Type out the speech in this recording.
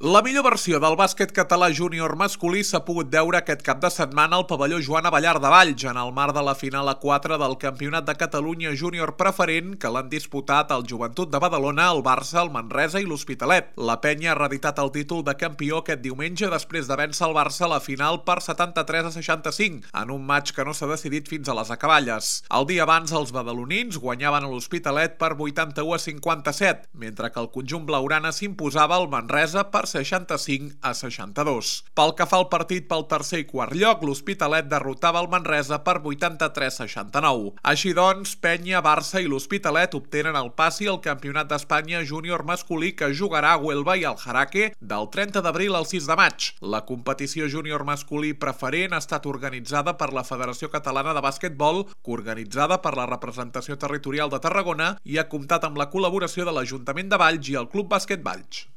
La millor versió del bàsquet català júnior masculí s'ha pogut veure aquest cap de setmana al pavelló Joan Abellar de Valls, en el marc de la final A4 del Campionat de Catalunya Júnior Preferent que l'han disputat el Joventut de Badalona, el Barça, el Manresa i l'Hospitalet. La penya ha reeditat el títol de campió aquest diumenge després de vèncer el Barça a la final per 73-65, en un matx que no s'ha decidit fins a les acaballes. El dia abans, els badalonins guanyaven a l'Hospitalet per 81-57, mentre que el conjunt blaugrana s'imposava al Manresa per 65-62. Pel que fa al partit pel tercer i quart lloc, l'Hospitalet derrotava el Manresa per 83-69. Així doncs, Penya, Barça i l'Hospitalet obtenen el passi al Campionat d'Espanya júnior masculí que jugarà a Huelva i al Jaraque del 30 d'abril al 6 de maig. La competició júnior masculí preferent ha estat organitzada per la Federació Catalana de Basquetbol, coorganitzada per la representació territorial de Tarragona i ha comptat amb la col·laboració de l'Ajuntament de Valls i el Club Bàsquet Valls.